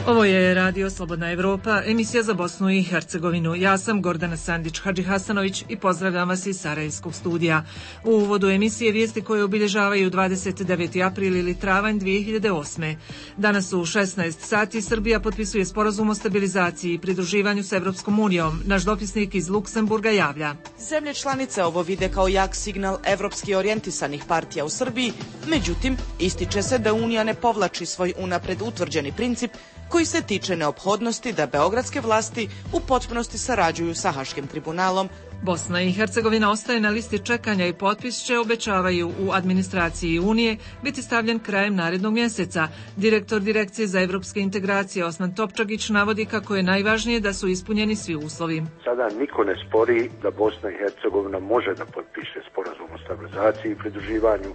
Ovo je Radio Slobodna Evropa, emisija za Bosnu i Hercegovinu. Ja sam Gordana Sandić-Hadžihasanović i pozdravljam vas iz Sarajevskog studija. U uvodu emisije vijesti koje obilježavaju 29. april ili travanj 2008. Danas u 16 sati Srbija potpisuje sporazum o stabilizaciji i pridruživanju s Evropskom unijom. Naš dopisnik iz Luksemburga javlja. Zemlje članice ovo vide kao jak signal evropski orijentisanih partija u Srbiji, međutim, ističe se da Unija ne povlači svoj unapred utvrđeni princip koji se tiče neophodnosti da beogradske vlasti u potpunosti sarađuju sa Haškim tribunalom. Bosna i Hercegovina ostaje na listi čekanja i potpis će, obećavaju u administraciji Unije, biti stavljen krajem narednog mjeseca. Direktor Direkcije za evropske integracije Osman Topčagić navodi kako je najvažnije da su ispunjeni svi uslovi. Sada niko ne spori da Bosna i Hercegovina može da potpiše sporazum o stabilizaciji i pridruživanju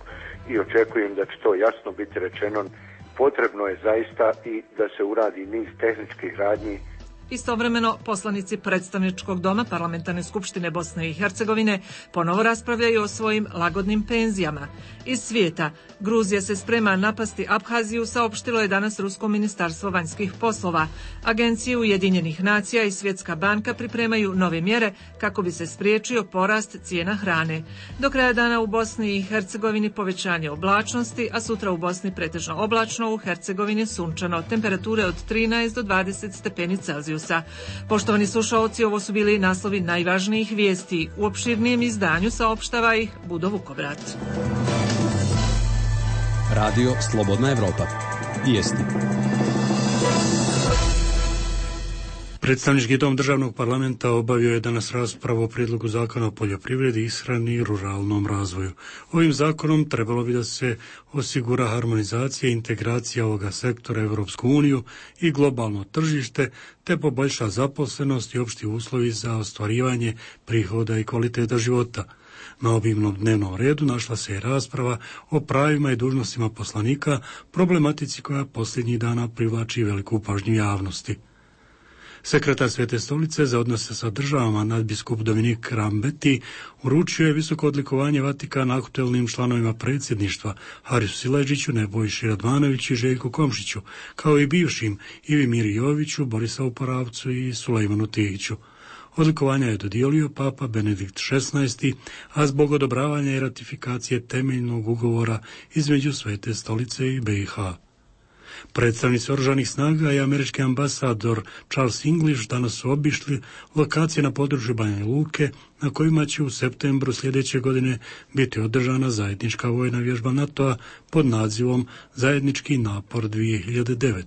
i očekujem da će to jasno biti rečeno. Potrebno je zaista i da se uradi niz tehničkih radnji. Istovremeno, poslanici predstavničkog doma Parlamentarne skupštine Bosne i Hercegovine ponovo raspravljaju o svojim lagodnim penzijama. Iz svijeta, Gruzija se sprema napasti Abhaziju, saopštilo je danas Rusko ministarstvo vanjskih poslova. Agencije Ujedinjenih nacija i Svjetska banka pripremaju nove mjere kako bi se spriječio porast cijena hrane. Do kraja dana u Bosni i Hercegovini povećanje oblačnosti, a sutra u Bosni pretežno oblačno, u Hercegovini sunčano, temperature od 13 do 20 stepeni Celzijusa. Poštovani slušaoci, ovo su bili naslovi najvažnijih vijesti. U opširnijem izdanju saopštava ih Budo Vukovrat. Radio Slobodna Evropa. Vijesti. Predstavnički dom državnog parlamenta obavio je danas raspravu o prijedlogu zakona o poljoprivredi, ishrani i ruralnom razvoju. Ovim zakonom trebalo bi da se osigura harmonizacija i integracija ovoga sektora Evropsku uniju i globalno tržište, te poboljša zaposlenost i opšti uslovi za ostvarivanje prihoda i kvaliteta života. Na obimnom dnevnom redu našla se i rasprava o pravima i dužnostima poslanika, problematici koja posljednjih dana privlači veliku pažnju javnosti. Sekretar Svete stolice za odnose sa državama nadbiskup Dominik Rambeti uručio je visoko odlikovanje Vatikana aktuelnim članovima predsjedništva Harisu Silajdžiću, Nebojši Radmanoviću i Željku Komšiću, kao i bivšim Ivi Miri Joviću, Borisavu Poravcu i Sulejmanu Tijiću. Odlikovanja je dodijelio Papa Benedikt XVI, a zbog odobravanja i ratifikacije temeljnog ugovora između Svete stolice i BiH. Predstavnici oružanih snaga i američki ambasador Charles English danas su obišli lokacije na području Banja Luke na kojima će u septembru sljedeće godine biti održana zajednička vojna vježba NATO-a pod nazivom Zajednički napor 2009.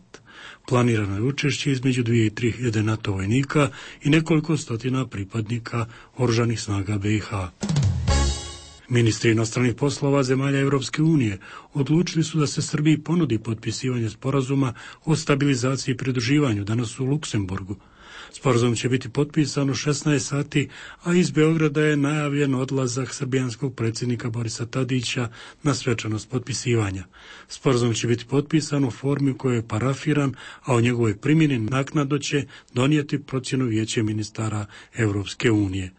Planirano je učešće između 2 i 3 hiljade NATO vojnika i nekoliko stotina pripadnika oružanih snaga BiH. Ministri inostranih poslova zemalja Evropske unije odlučili su da se Srbiji ponudi potpisivanje sporazuma o stabilizaciji i pridruživanju danas u Luksemburgu. Sporazum će biti potpisan u 16 sati, a iz Beograda je najavljen odlazak srbijanskog predsjednika Borisa Tadića na svečanost potpisivanja. Sporazum će biti potpisan u formi u kojoj je parafiran, a o njegovoj primjeni naknadno će donijeti procjenu Vijeće ministara Evropske unije.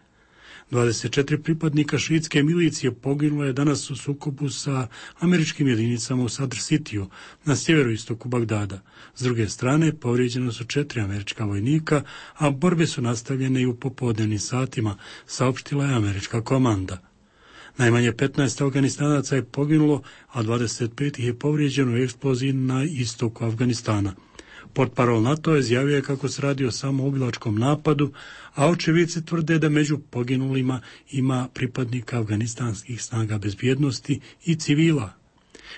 24 pripadnika šiitske milicije poginulo je danas u sukobu sa američkim jedinicama u Sadr Cityu na sjeveroistoku Bagdada. S druge strane, povrijeđeno su 4 američka vojnika, a borbe su nastavljene i u popodnevnim satima, saopštila je američka komanda. Najmanje 15 Afganistanaca je poginulo, a 25 ih je povrijeđeno u eksploziji na istoku Afganistana. Portparol NATO izjavio kako se radi o samoubilačkom napadu, a očevidci tvrde da među poginulima ima pripadnika afganistanskih snaga bezbjednosti i civila.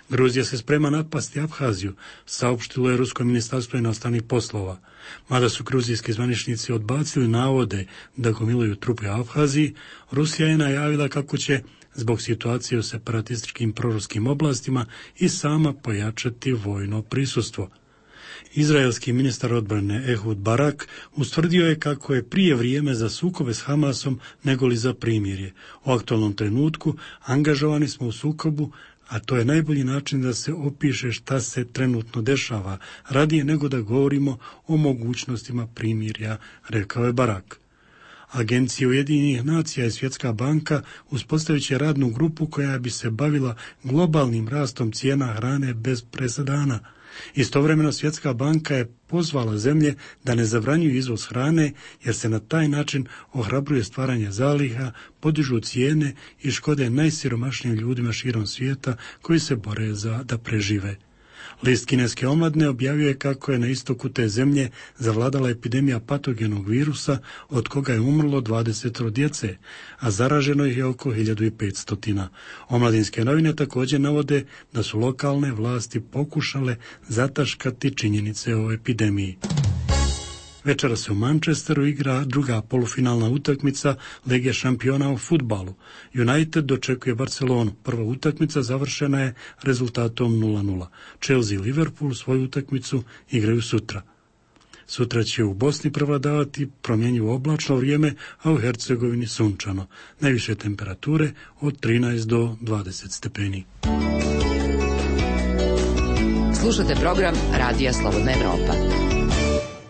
Gruzija se sprema napasti Abhaziju, saopštilo je Rusko ministarstvo inostranih poslova. Mada su gruzijski zvaničnici odbacili navode da gomilaju trupe u Abhaziji, Rusija je najavila kako će zbog situacije u separatističkim proruskim oblastima i sama pojačati vojno prisustvo. Izraelski ministar odbrane Ehud Barak ustvrdio je kako je prije vrijeme za sukobe s Hamasom nego li za primirje. U aktualnom trenutku angažovani smo u sukobu, a to je najbolji način da se opiše šta se trenutno dešava, radije nego da govorimo o mogućnostima primirja, rekao je Barak. Agencija Ujedinjenih nacija i Svjetska banka uspostavit će radnu grupu koja bi se bavila globalnim rastom cijena hrane bez presedana. Istovremeno Svjetska banka je pozvala zemlje da ne zabranjuju izvoz hrane jer se na taj način ohrabruje stvaranje zaliha, podižu cijene i škode najsiromašnijim ljudima širom svijeta koji se bore da prežive. List kineske omladine objavio je kako je na istoku te zemlje zavladala epidemija patogenog virusa od koga je umrlo 20 djece, a zaraženo ih je oko 1500. Omladinske novine također navode da su lokalne vlasti pokušale zataškati činjenice o epidemiji. Večera se u Manchesteru igra druga polufinalna utakmica Lige šampiona u fudbalu. United dočekuje Barcelonu. Prva utakmica završena je rezultatom 0:0. Chelsea i Liverpool svoju utakmicu igraju sutra. Sutra će u Bosni prevladavati promjenjivo oblačno vrijeme, a u Hercegovini sunčano. Najviše temperature od 13 do 20 stepeni. Slušate program Radija Slobodna Evropa.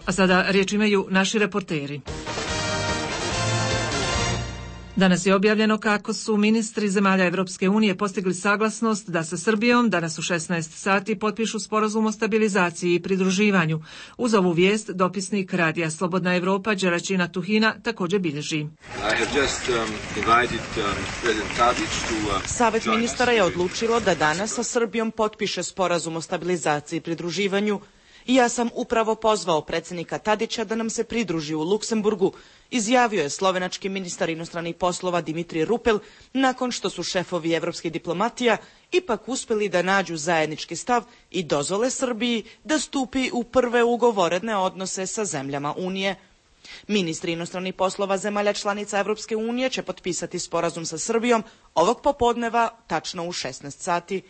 A sada riječ imaju naši reporteri. Danas je objavljeno kako su ministri zemalja Evropske unije postigli saglasnost da sa Srbijom danas u 16 sati potpišu sporazum o stabilizaciji i pridruživanju. Uz ovu vijest dopisnik Radija Slobodna Evropa Đeraćina Tuhina također bilježi. Savet ministara je odlučilo da danas sa Srbijom potpiše sporazum o stabilizaciji i pridruživanju. Ja sam upravo pozvao predsjednika Tadića da nam se pridruži u Luksemburgu, izjavio je slovenački ministar inostranih poslova Dimitri Rupel nakon što su šefovi evropskih diplomatija ipak uspjeli da nađu zajednički stav i dozvole Srbiji da stupi u prve ugovorene odnose sa zemljama Unije. Ministri inostranih poslova zemalja članica Evropske unije će potpisati sporazum sa Srbijom ovog popodneva tačno u 16 sati.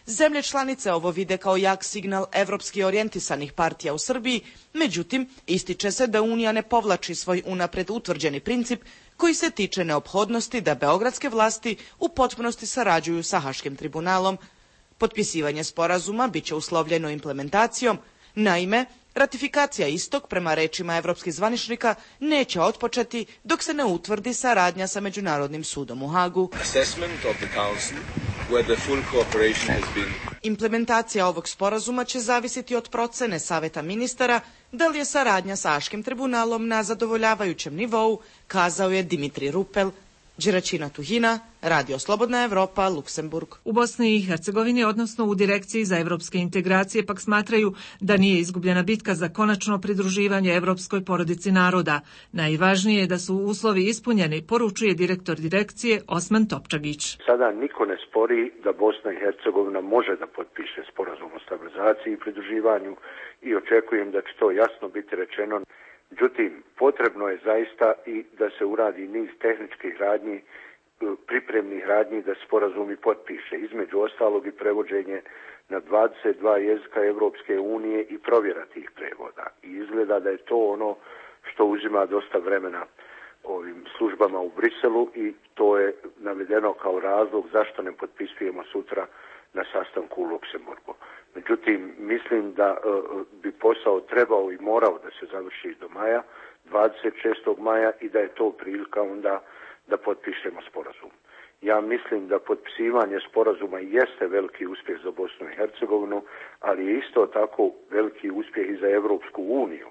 Zemlje članice ovo vide kao jak signal evropski orijentisanih partija u Srbiji, međutim, ističe se da Unija ne povlači svoj unapred utvrđeni princip koji se tiče neophodnosti da beogradske vlasti u potpunosti sarađuju sa Haškim tribunalom. Potpisivanje sporazuma biće uslovljeno implementacijom, naime, ratifikacija istog, prema rečima evropskih zvaničnika, neće otpočeti dok se ne utvrdi saradnja sa Međunarodnim sudom u Hagu. Implementacija ovog sporazuma će zavisiti od procene Saveta ministara da li je saradnja sa Haškim tribunalom na zadovoljavajućem nivou, kazao je Dimitri Rupel. Đeraćina Tuhina, Radio Slobodna Evropa, Luksemburg. U Bosni i Hercegovini, odnosno u Direkciji za evropske integracije, pak smatraju da nije izgubljena bitka za konačno pridruživanje evropskoj porodici naroda. Najvažnije je da su uslovi ispunjeni, poručuje direktor direkcije Osman Topčagić. Sada niko ne spori da Bosna i Hercegovina može da potpiše sporazum o stabilizaciji i pridruživanju i očekujem da će to jasno biti rečeno. Međutim, potrebno je zaista i da se uradi niz tehničkih radnji, pripremnih radnji da sporazumi potpiše. Između ostalog i prevođenje na 22 jezika Evropske unije i provjera tih prevoda. I izgleda da je to ono što uzima dosta vremena ovim službama u Briselu i to je navedeno kao razlog zašto ne potpisujemo sutra na sastanku u Luksemburgu. Međutim, mislim da bi posao trebao i morao da se završi do maja, 26. maja i da je to prilika onda da potpišemo sporazum. Ja mislim da potpisivanje sporazuma jeste veliki uspjeh za Bosnu i Hercegovinu, ali je isto tako veliki uspjeh i za Evropsku uniju,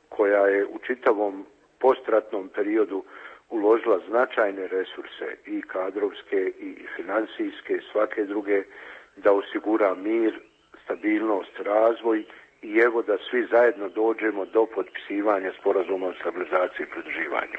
koja je u čitavom postratnom periodu uložila značajne resurse i kadrovske i financijske i svake druge da osigura mir, stabilnost, razvoj i evo da svi zajedno dođemo do potpisivanja sporazuma o stabilizaciji i pridruživanju.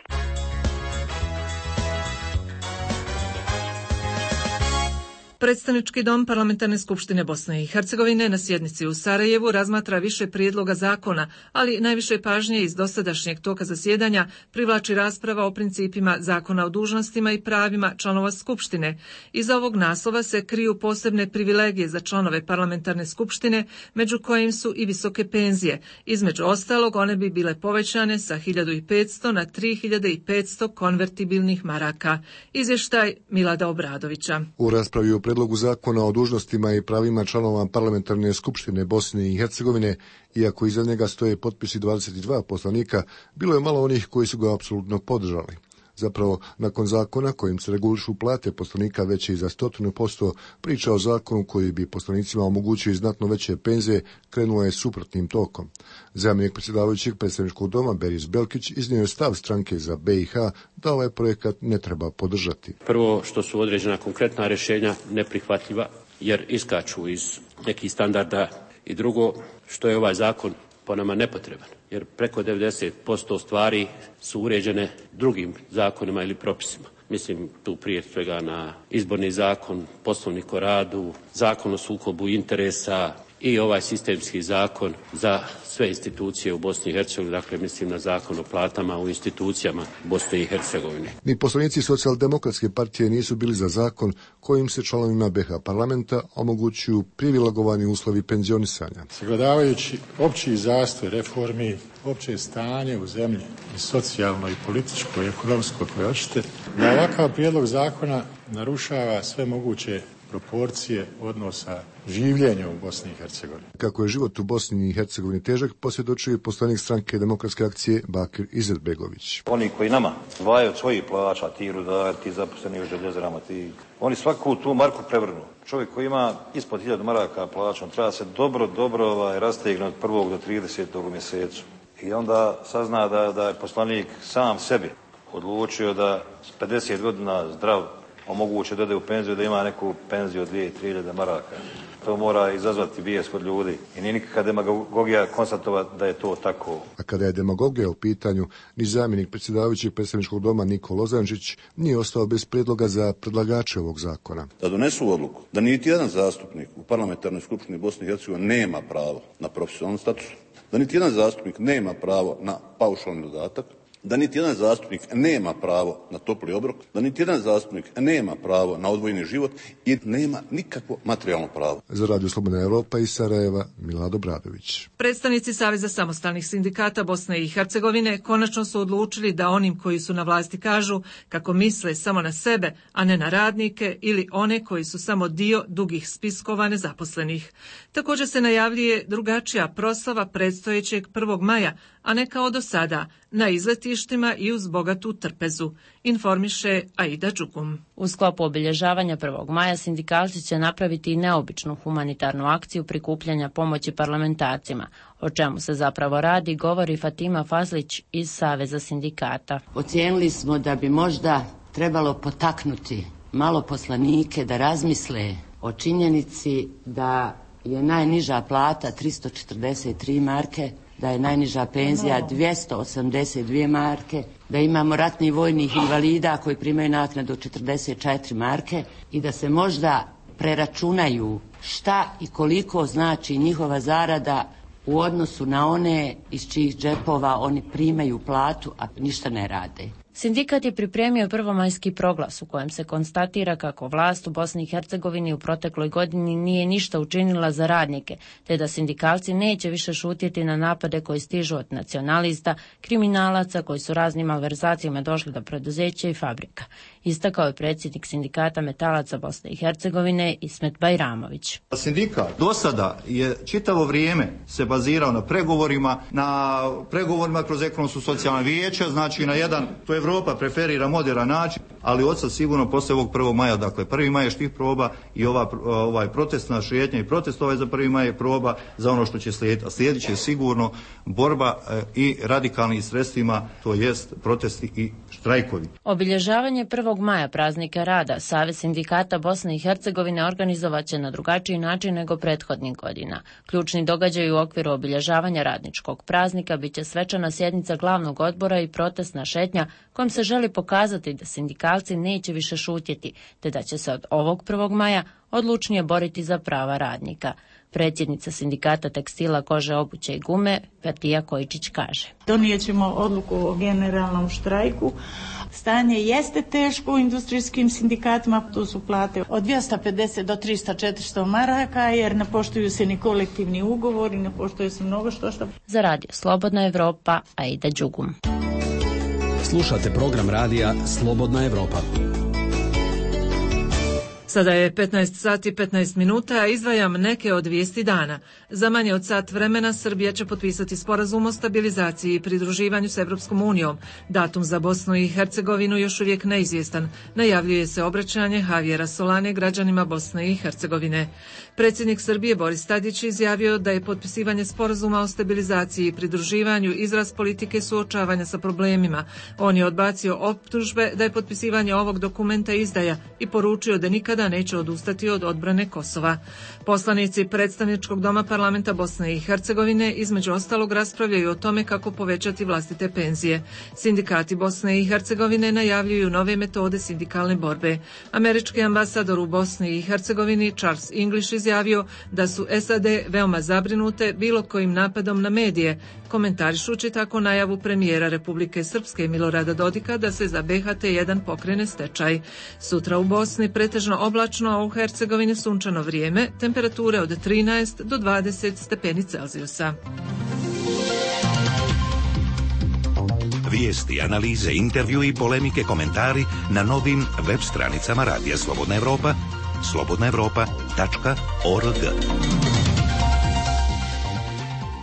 Predstavnički dom Parlamentarne skupštine Bosne i Hercegovine na sjednici u Sarajevu razmatra više prijedloga zakona, ali najviše pažnje iz dosadašnjeg toka zasjedanja privlači rasprava o principima zakona o dužnostima i pravima članova skupštine. Iza ovog naslova se kriju posebne privilegije za članove Parlamentarne skupštine, među kojim su i visoke penzije. Između ostalog, one bi bile povećane sa 1500 na 3500 konvertibilnih maraka. Izvještaj Milada Obradovića. U raspravi o predlogu zakona o dužnostima i pravima članova Parlamentarne skupštine Bosne i Hercegovine, iako iza njega stoje potpisi 22 poslanika, bilo je malo onih koji su ga apsolutno podržali. Zapravo, nakon zakona kojim se regulišu plate poslanika veće i za 100%, priča o zakonu koji bi poslanicima omogućio i znatno veće penzije krenula je suprotnim tokom. Zamjenik predsjedavajućeg predstavničkog doma Beris Belkić iznio je stav stranke za BiH da ovaj projekat ne treba podržati. Prvo, što su određena konkretna rješenja neprihvatljiva jer iskaču iz nekih standarda, i drugo, što je ovaj zakon po nama nepotreban, jer preko 90% stvari su uređene drugim zakonima ili propisima. Mislim tu prije svega na izborni zakon, poslovnik o radu, zakon o sukobu interesa i ovaj sistemski zakon za sve institucije u Bosni i Hercegovini, dakle mislim na zakon o platama u institucijama Bosne i Hercegovine. Ni poslanici Socijaldemokratske partije nisu bili za zakon kojim se članovima BiH parlamenta omogućuju privilegovani uslovi penzionisanja. Sagledavajući opći zastoj reformi, opće stanje u zemlji i socijalno i političko i ekonomsko koje hoćete, da ovakav prijedlog zakona narušava sve moguće proporcije odnosa življenja u Bosni i Hercegovini. Kako je život u Bosni i Hercegovini težak, posvjedočio je poslanik stranke Demokratske akcije Bakir Izetbegović. Oni koji nama dvaju od svojih plaća, ti rudari, ti zaposleni u željezarama, oni svaku tu marku prevrnu. Čovjek koji ima ispod 1000 maraka plaćom treba se dobro rastegnuti od 1. do 30. u mjesecu. I onda sazna da je poslanik sam sebi odlučio da s 50 godina zdrav omoguće da ode u penziju, da ima neku penziju od 2-3 maraka. To mora izazvati bijes kod ljudi. I nije nikakva demagogija konstatovati da je to tako. A kada je demagogija u pitanju, ni zamjenik predsjedavajućeg predstavničkog doma Niko Lozančić nije ostao bez prijedloga za predlagače ovog zakona. Da donesu odluku da niti jedan zastupnik u parlamentarnoj skupštini Bosne i Hercegovine nema pravo na profesionalni status, da niti jedan zastupnik nema pravo na paušalni dodatak, da niti jedan zastupnik nema pravo na topli obrok, da niti jedan zastupnik nema pravo na odvojeni život i nema nikakvo materijalno pravo. Za Radio Slobodna Evropa iz Sarajeva, Milado Bradović. Predstavnici Saveza samostalnih sindikata Bosne i Hercegovine konačno su odlučili da onim koji su na vlasti kažu kako misle samo na sebe, a ne na radnike ili one koji su samo dio dugih spiskova nezaposlenih. Također se najavljuje drugačija proslava predstojećeg 1. maja, a ne kao do sada, na izletištima i uz bogatu trpezu, informiše Aida Đugum. U sklopu obilježavanja 1. maja sindikalci će napraviti i neobičnu humanitarnu akciju prikupljanja pomoći parlamentarcima. O čemu se zapravo radi, govori Fatima Fazlić iz Saveza sindikata. Ocijenili smo da bi možda trebalo potaknuti malo poslanike da razmisle o činjenici da je najniža plata 343 marke, da je najniža penzija 282 marke, da imamo ratnih vojnih invalida koji primaju naknadu 44 marke i da se možda preračunaju šta i koliko znači njihova zarada u odnosu na one iz čijih džepova oni primaju platu, a ništa ne rade. Sindikat je pripremio prvomajski proglas u kojem se konstatira kako vlast u Bosni i Hercegovini u protekloj godini nije ništa učinila za radnike, te da sindikalci neće više šutjeti na napade koji stižu od nacionalista, kriminalaca koji su raznim malverzacijama došli do preduzeća i fabrika. Istakao je predsjednik sindikata metalaca Bosne i Hercegovine Ismet Bajramović. Sindikat do sada je čitavo vrijeme se bazirao na pregovorima kroz ekonomsko socijalno vijeće, znači na jedan, to Evropa preferira modern način, ali odsad sigurno poslije ovog 1. maja, dakle 1. maj je štih proba i ovaj protestna šetnja i protest za 1. maj je proba za ono što će slijediti. A slijedit će sigurno borba i radikalnim sredstvima, to jest protesti i štrajkovi. Obilježavanje 1. maja praznika rada Savez sindikata Bosne i Hercegovine organizovat će na drugačiji način nego prethodnih godina. Ključni događaj u okviru obilježavanja radničkog praznika bit će svečana sjednica glavnog odbora i protestna šetnja kojom se želi pokazati da sindikalci neće više šutjeti, te da će se od ovog 1. maja odlučnije boriti za prava radnika. Predsjednica sindikata tekstila, kože, obuće i gume, Petija Kojičić kaže. Donijet ćemo odluku o generalnom štrajku. Stanje jeste teško u industrijskim sindikatima, tu su plate od 250 do 300-400 maraka, jer ne poštuju se ni kolektivni ugovori, ne poštuje se mnogo što. Za Radio Slobodna Evropa, Aida Đugum. Slušate program radija Slobodna Evropa. Sada je 15 sati 15 minuta, a izdvajam neke od vijesti dana. Za manje od sat vremena Srbija će potpisati sporazum o stabilizaciji i pridruživanju s Evropskom unijom. Datum za Bosnu i Hercegovinu još uvijek neizvjestan. Najavljuje se obraćanje Javiera Solane građanima Bosne i Hercegovine. Predsjednik Srbije Boris Tadić izjavio da je potpisivanje sporazuma o stabilizaciji i pridruživanju izraz politike suočavanja sa problemima. On je odbacio optužbe da je potpisivanje ovog dokumenta izdaja i poručio da nikada neće odustati od odbrane Kosova. Poslanici predstavničkog doma parlamenta Bosne i Hercegovine između ostalog raspravljaju o tome kako povećati vlastite penzije. Sindikati Bosne i Hercegovine najavljuju nove metode sindikalne borbe. Američki ambasador u Bosni i Hercegovini Charles English izjavio da su SAD veoma zabrinute bilo kojim napadom na medije, komentarišući tako najavu premijera Republike Srpske Milorada Dodika da se za BHT1 pokrene stečaj. Sutra u Bosni pretežno oblačno, a u Hercegovini sunčano vrijeme, temperature od 13 do 20 stepeni Celzijusa. Vijesti, analize, intervju i polemike, komentari na novim web stranicama Radija Slobodna Evropa, slobodnaevropa.org.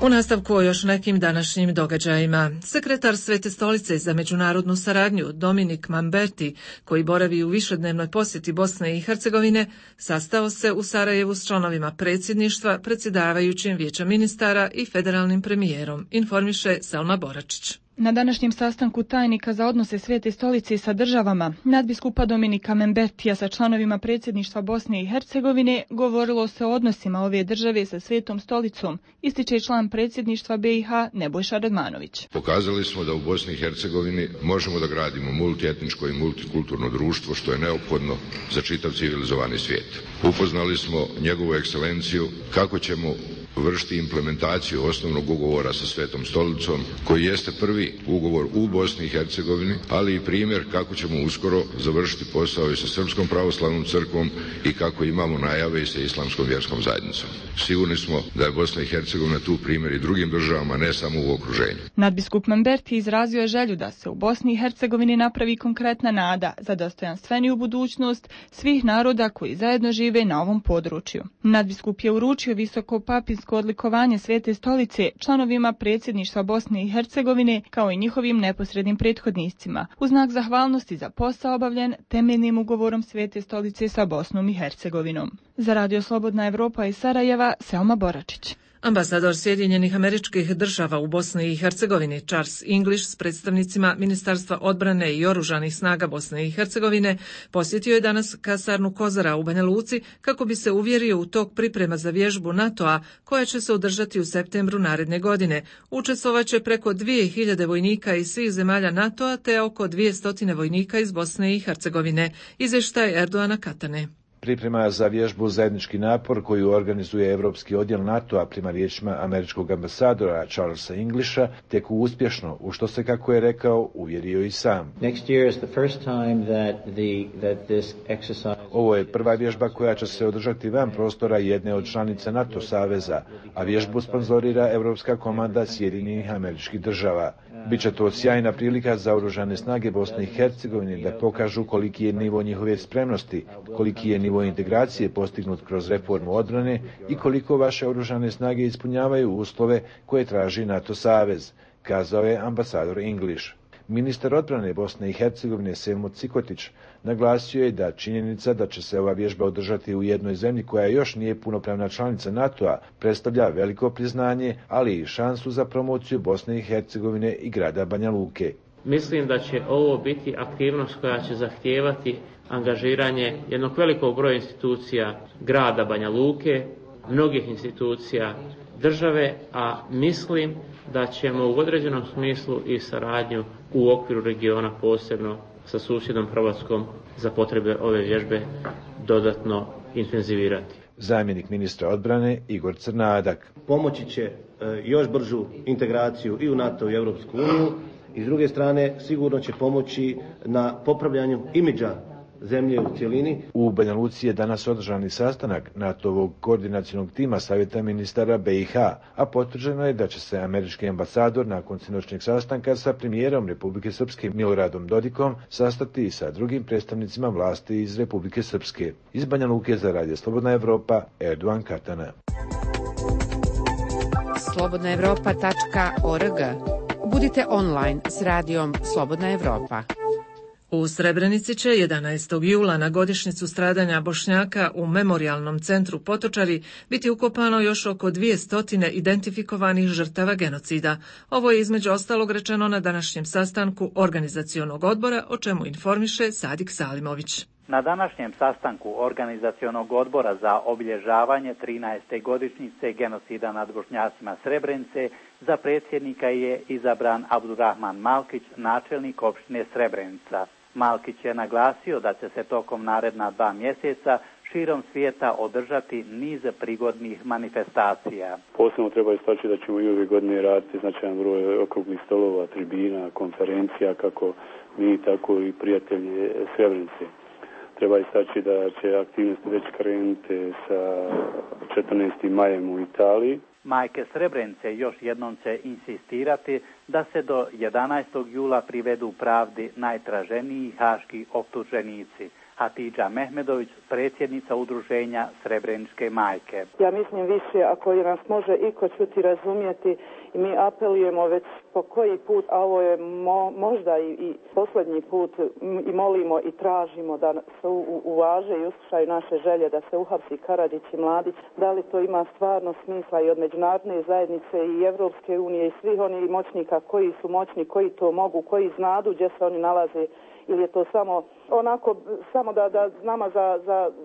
U nastavku o još nekim današnjim događajima. Sekretar Svete stolice za međunarodnu saradnju Dominik Mamberti, koji boravi u višednevnoj posjeti Bosne i Hercegovine, sastao se u Sarajevu s članovima predsjedništva, predsjedavajućim Vijeća ministara i federalnim premijerom, informiše Selma Boračić. Na današnjem sastanku tajnika za odnose Svete stolice sa državama, nadbiskupa Dominika Mambertija sa članovima predsjedništva Bosne i Hercegovine, govorilo se o odnosima ove države sa Svetom stolicom, ističe član predsjedništva BiH Nebojša Radmanović. Pokazali smo da u Bosni i Hercegovini možemo da gradimo multietničko i multikulturno društvo, što je neophodno za čitav civilizovani svijet. Upoznali smo njegovu ekscelenciju kako ćemo vršiti implementaciju osnovnog ugovora sa Svetom stolicom, koji jeste prvi ugovor u Bosni i Hercegovini, ali i primjer kako ćemo uskoro završiti posao i sa Srpskom pravoslavnom crkvom i kako imamo najave i sa Islamskom vjerskom zajednicom. Sigurni smo da je Bosna i Hercegovina tu primjer i drugim državama, ne samo u okruženju. Nadbiskup Mamberti izrazio je želju da se u Bosni i Hercegovini napravi konkretna nada za dostojanstveniju budućnost svih naroda koji zajedno žive na ovom području. Nadbiskup je uručio visoko papinsko odlikovanje Svete stolice članovima predsjedništva Bosne i Hercegovine kao i njihovim neposrednim prethodnicima, u znak zahvalnosti za posao obavljen temeljnim ugovorom Svete stolice sa Bosnom i Hercegovinom. Za Radio Slobodna Evropa iz Sarajeva, Selma Boračić. Ambasador Sjedinjenih Američkih Država u Bosni i Hercegovini Charles English s predstavnicima Ministarstva odbrane i oružanih snaga Bosne i Hercegovine posjetio je danas kasarnu Kozara u Banja Luci kako bi se uvjerio u tok priprema za vježbu NATO-a koja će se održati u septembru naredne godine. Učestvovaće preko 2000 vojnika iz svih zemalja NATO-a te oko 200 vojnika iz Bosne i Hercegovine. Izvještaj Erdoana Katane. Priprema za vježbu zajednički napor koju organizuje Evropski odjel NATO-a prema riječima američkog ambasadora Charlesa Englisha teku uspješno, u što se, kako je rekao, uvjerio i sam. Ovo je prva vježba koja će se održati van prostora jedne od članica NATO saveza, a vježbu sponzorira Evropska komanda Sjedinjenih Američkih Država. Biće to sjajna prilika za oružane snage Bosne i Hercegovine da pokažu koliki je nivo njihove spremnosti, koliki je nivo integracije postignut kroz reformu odbrane i koliko vaše oružane snage ispunjavaju uslove koje traži NATO savez, kazao je ambasador English. Ministar odbrane Bosne i Hercegovine Selmo Cikotić naglasio je da činjenica da će se ova vježba održati u jednoj zemlji koja još nije punopravna članica NATO-a predstavlja veliko priznanje, ali i šansu za promociju Bosne i Hercegovine i grada Banja Luke. Mislim da će ovo biti aktivnost koja će zahtijevati angažiranje jednog velikog broja institucija grada Banja Luke, mnogih institucija države, a mislim da ćemo u određenom smislu i saradnju u okviru regiona, posebno sa susjednom Hrvatskom, za potrebe ove vježbe dodatno intenzivirati. Zamjenik ministra odbrane Igor Crnadak. Pomoći će još bržu integraciju i u NATO i Europsku uniju i s druge strane sigurno će pomoći na popravljanju imidža zemlje u cjelini. U Banja Luci je danas održani sastanak NATO-ovog koordinacionog tima Savjeta ministara BiH, a potvrđeno je da će se američki ambasador nakon sinoćnjeg sastanka sa premijerom Republike Srpske Miloradom Dodikom sastati i sa drugim predstavnicima vlasti iz Republike Srpske. Iz Banja Luke za Radio Slobodna Evropa, Erdogan Katana. slobodnaevropa.org. Budite online s radijom Slobodna Evropa. U Srebrenici će 11. jula na godišnjicu stradanja Bošnjaka u Memorijalnom centru Potočari biti ukopano još oko 200 identifikovanih žrtava genocida. Ovo je između ostalog rečeno na današnjem sastanku organizacionog odbora, o čemu informiše Sadik Salimović. Na današnjem sastanku organizacionog odbora za obilježavanje 13. godišnjice genocida nad Bošnjacima Srebrenice za predsjednika je izabran Abdurrahman Malkić, načelnik opštine Srebrenica. Malkić je naglasio da će se tokom naredna 2 mjeseca širom svijeta održati niz prigodnih manifestacija. Posebno treba istaći da ćemo i ove godine raditi značajan broj okruglih stolova, tribina, konferencija, kako mi, tako i prijatelji Srebrenice. Treba istaći da će aktivnosti već krenuti sa 14. majem u Italiji. Majke Srebrenice još jednom će insistirati da se do 11. jula privedu pravdi najtraženiji haški optuženici. Hatidža Mehmedović, predsjednica udruženja Srebreničke majke. Ja mislim više, ako nas može iko čuti, razumjeti, i mi apelujemo već po koji put, a ovo je možda i posljednji put, i molimo i tražimo da se uvaže i uslušaju naše želje da se uhapsi Karadžić i Mladić. Da li to ima stvarno smisla i od međunarodne zajednice i Evropske unije i svih onih moćnika koji su moćni, koji to mogu, koji znadu gdje se oni nalaze, ili je to samo onako, samo da nama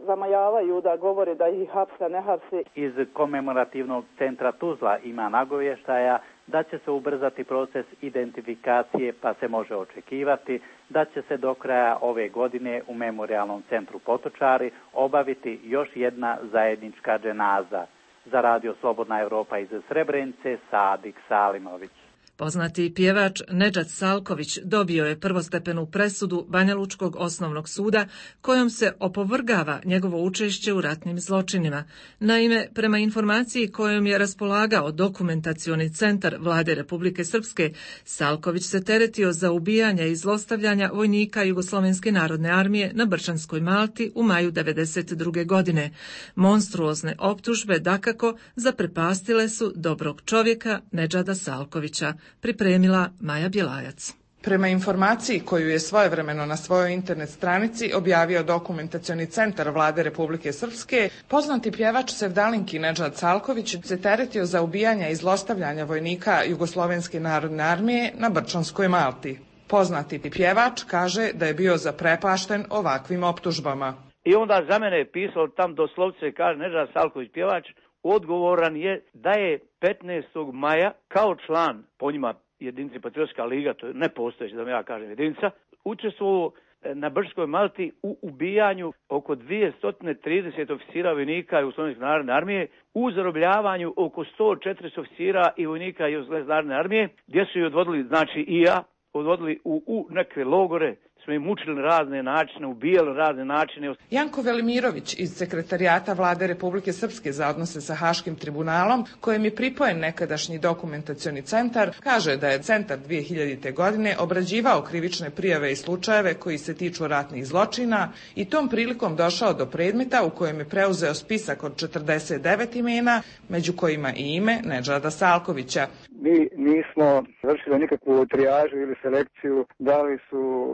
zamajavaju, da govore da ih hapse, ne hapse. Iz komemorativnog centra Tuzla ima nagovještaja da će se ubrzati proces identifikacije, pa se može očekivati da će se do kraja ove godine u Memorijalnom centru Potočari obaviti još jedna zajednička dženaza. Za Radio Slobodna Evropa iz Srebrenice, Sadik Salimović. Poznati pjevač Nedžad Salković dobio je prvostepenu presudu Banjalučkog osnovnog suda kojom se opovrgava njegovo učešće u ratnim zločinima. Naime, prema informaciji kojom je raspolagao dokumentacioni centar Vlade Republike Srpske, Salković se teretio za ubijanje i zlostavljanja vojnika Jugoslovenske narodne armije na Brčanskoj Malti u maju 1992. godine. Monstruozne optužbe dakako zaprepastile su dobrog čovjeka Nedžada Salkovića. Pripremila Maja Bjelajac. Prema informaciji koju je svojevremeno na svojoj internet stranici objavio dokumentacioni centar Vlade Republike Srpske, poznati pjevač Sevdalinki Nedžad Salković se teretio za ubijanja i zlostavljanja vojnika Jugoslovenske narodne armije na Brčanskoj Malti. Poznati pjevač kaže da je bio zaprepašten ovakvim optužbama. I onda za mene je pisalo tam doslovce, kaže Nedžad Salković pjevač, odgovoran je da je 15. maja kao član, po njima jedinici Patriotska liga, to je nepostojeća, da ja kažem jedinica, učestvovao na Brčkoj Malti u ubijanju oko 230 oficira vojnika Jugoslovenske narodne armije, u zarobljavanju oko 140 oficira i vojnika Jugoslovenske narodne armije, gdje su ih odvodili, znači i ja, odvodili u neke logore, smo im mučili na razne načine, ubijali na razne načine. Janko Velimirović iz Sekretarijata Vlade Republike Srpske za odnose sa Haškim tribunalom, kojem je pripojen nekadašnji dokumentacioni centar, kaže da je centar 2000. godine obrađivao krivične prijave i slučajeve koji se tiču ratnih zločina i tom prilikom došao do predmeta u kojem je preuzeo spisak od 49 imena, među kojima i ime Nedžada Salkovića. Mi nismo vršili nikakvu trijažu ili selekciju, da li su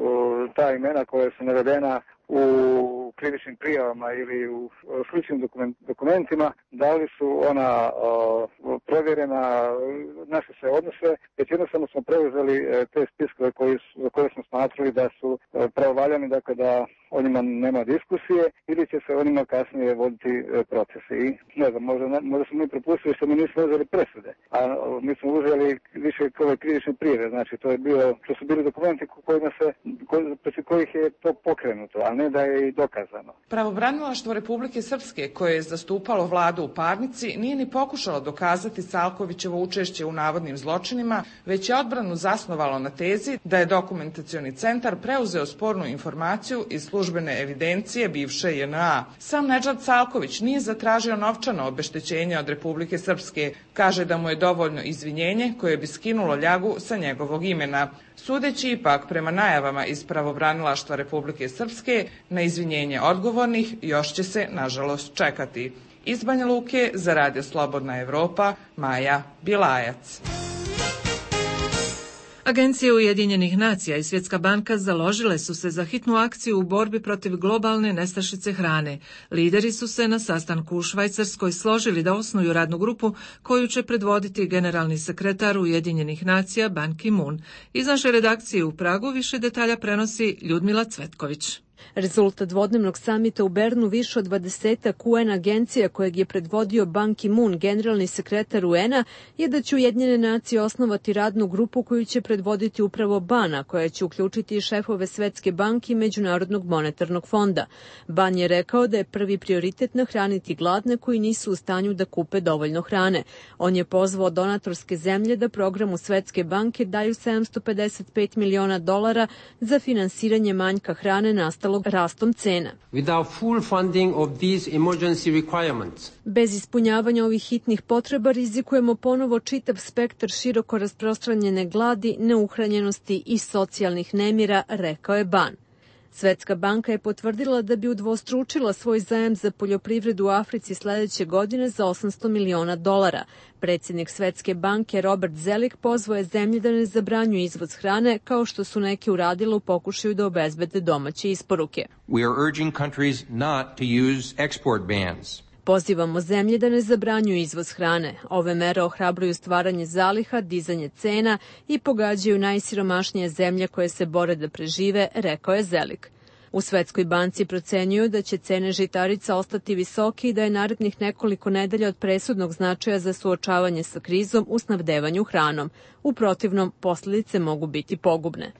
ta imena koja su navedena u krivičnim prijavama ili u sličnim dokumentima, da li su ona provjerena, naše se odnose, već jednostavno smo preuzeli te spiskove za koje smo smatrali da su pravovaljani, dakle da o njima nema diskusije ili će se o njima kasnije voditi procesi. I ne znam, možda smo mi propustili što mi nismo uzeli presude, a mi smo uzeli više ove krivične prijave, znači to su bili dokumenti protiv kojih je to pokrenuto, a ali ne da je i dokazano. Pravobranilaštvo Republike Srpske, koje je zastupalo vladu u parnici, nije ni pokušalo dokazati Salkovićevo učešće u navodnim zločinima, već je odbranu zasnovalo na tezi da je dokumentacioni centar preuzeo spornu informaciju iz službene evidencije bivše JNA. Sam Nedžad Salković nije zatražio novčano obeštećenje od Republike Srpske. Kaže da mu je dovoljno izvinjenje koje bi skinulo ljagu sa njegovog imena. Sudeći ipak prema najavama iz Pravobranilaštva Republike Srpske, na izvinjenje odgovornih još će se, nažalost, čekati. Iz Banja Luke za Radio Slobodna Evropa, Maja Bilajac. Agencije Ujedinjenih nacija i Svjetska banka založile su se za hitnu akciju u borbi protiv globalne nestašice hrane. Lideri su se na sastanku u Švajcarskoj složili da osnuju radnu grupu koju će predvoditi generalni sekretar Ujedinjenih nacija Ban Ki-moon. Iz naše redakcije u Pragu više detalja prenosi Ljudmila Cvetković. Rezultat dvodnevnog samita u Bernu više od 20 UN agencija kojeg je predvodio Ban Ki-moon, generalni sekretar UN-a, je da će Ujedinjene nacije osnovati radnu grupu koju će predvoditi upravo Ban, koja će uključiti i šefove Svetske banke i Međunarodnog monetarnog fonda. Ban je rekao da je prvi prioritet nahraniti gladne koji nisu u stanju da kupe dovoljno hrane. On je pozvao donatorske zemlje da programu Svetske banke daju $755 miliona za finansiranje manjka hrane nastalog rastom cena. Bez ispunjavanja ovih hitnih potreba rizikujemo ponovo čitav spektar široko rasprostranjene gladi, neuhranjenosti i socijalnih nemira, rekao je Ban. Svetska banka je potvrdila da bi udvostručila svoj zajam za poljoprivredu u Africi sledeće godine za $800 miliona. Predsjednik Svetske banke Robert Zelik pozvao je zemlje da ne zabranjuju izvoz hrane, kao što su neki uradili u pokušaju da obezbede domaće isporuke. We are urging countries not to use export bans. Pozivamo zemlje da ne zabranjuju izvoz hrane. Ove mere ohrabruju stvaranje zaliha, dizanje cena i pogađaju najsiromašnije zemlje koje se bore da prežive, rekao je Zelik. U Svetskoj banci procenjuju da će cene žitarica ostati visoke i da je narednih nekoliko nedelja od presudnog značaja za suočavanje sa krizom u snabdevanju hranom. U protivnom, posljedice mogu biti pogubne.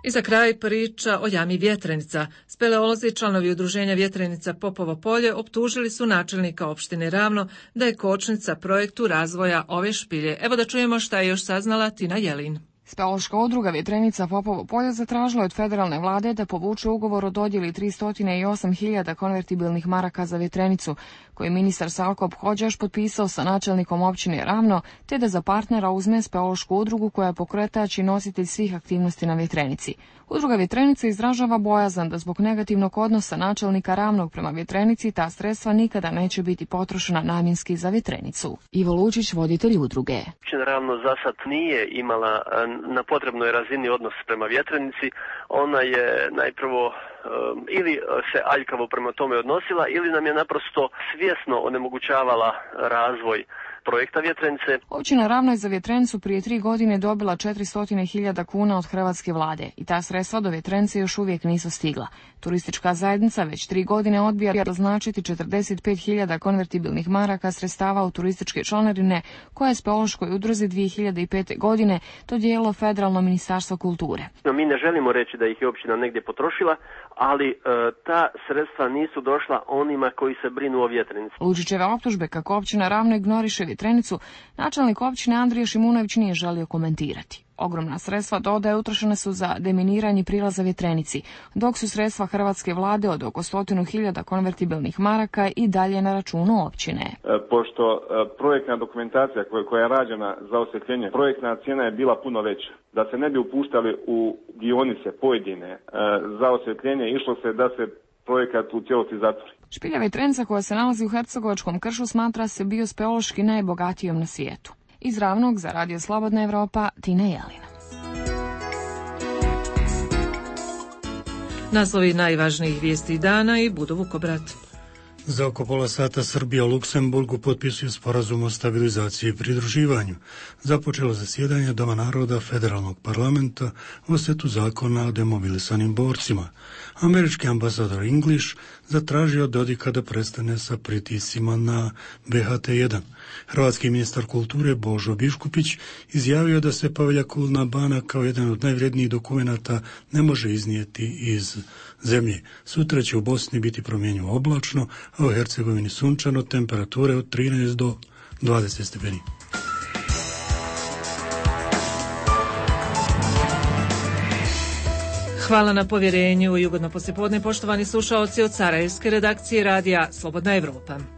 I za kraj priča o jami Vjetrenica. Speleolozi i članovi udruženja Vjetrenica Popovo polje optužili su načelnika opštine Ravno da je kočnica projektu razvoja ove špilje. Evo da čujemo šta je još saznala Tina Jelin. Speološka udruga Vjetrenica Popovo polje zatražila od federalne vlade da povuče ugovor o dodjeli 308.000 konvertibilnih maraka za Vjetrenicu, koji ministar Salko Hodžaš potpisao sa načelnikom općine Ravno, te da za partnera uzme speološku udrugu koja je pokretač i nositelj svih aktivnosti na Vjetrenici. Udruga Vjetrenica izražava bojazan da zbog negativnog odnosa načelnika Ravnog prema Vjetrenici ta sredstva nikada neće biti potrošena namjenski za Vjetrenicu. Ivo Lučić, voditelj udruge. Općina Ravno za sad nije imala na potrebnoj razini odnos prema Vjetrenici. Ona je najprvo ili se aljkavo prema tome odnosila ili nam je naprosto svjesno onemogućavala razvoj projekta Vjetrenice. Općina Ravno je za Vjetrenicu prije 3 godine dobila 400.000 kuna od hrvatske vlade i ta sredstva do Vjetrenice još uvijek nisu stigla. Turistička zajednica već 3 godine odbija doznačiti 45.000 konvertibilnih maraka sredstava u turističke članarine koje je speološkoj udruzi 2005. godine dodijelilo Federalno ministarstvo kulture. Mi ne želimo reći da ih je općina negdje potrošila, ali ta sredstva nisu došla onima koji se brinu o Vjetrenici. Lučićeve optužbe kako općina Ravno ignoriše Vjetrenicu, načelnik općine Andrija Šimunović nije želio komentirati. Ogromna sredstva, dodaje, utrošene su za deminiranje prilaza Vjetrenici, dok su sredstva hrvatske vlade od oko 100.000 konvertibilnih maraka i dalje na računu općine. Pošto projektna dokumentacija koja je rađena za osvjetljenje, projektna cijena je bila puno veća. Da se ne bi upuštali u dionice pojedine za osvjetljenje, išlo se da se projekat u cijelosti zatvori. Špilja Vjetrenica koja se nalazi u Hercegovačkom kršu smatra se bio speološki najbogatijom na svijetu. Iz Ravnog za Radio Slobodna Evropa, Tina Jelina. Naslovi najvažnijih vijesti dana i Budo Vukobrat. Za oko pola sata Srbija u Luksemburgu potpisuje sporazum o stabilizaciji i pridruživanju. Započelo zasjedanje Doma naroda Federalnog parlamenta o setu zakona o demobilisanim borcima. Američki ambasador English zatražio od Dodika da prestane sa pritiscima na BHT-1. Hrvatski ministar kulture Božo Biškupić izjavio da se Povelja Kulna Bana kao jedan od najvrednijih dokumenata ne može iznijeti iz zemlje. Sutra će u Bosni biti promjenjivo oblačno, a u Hercegovini sunčano, temperature od 13 do 20 stepeni. Hvala na povjerenju i ugodno poslijepodne, poštovani slušaoci od Sarajevske redakcije radija Slobodna Evropa.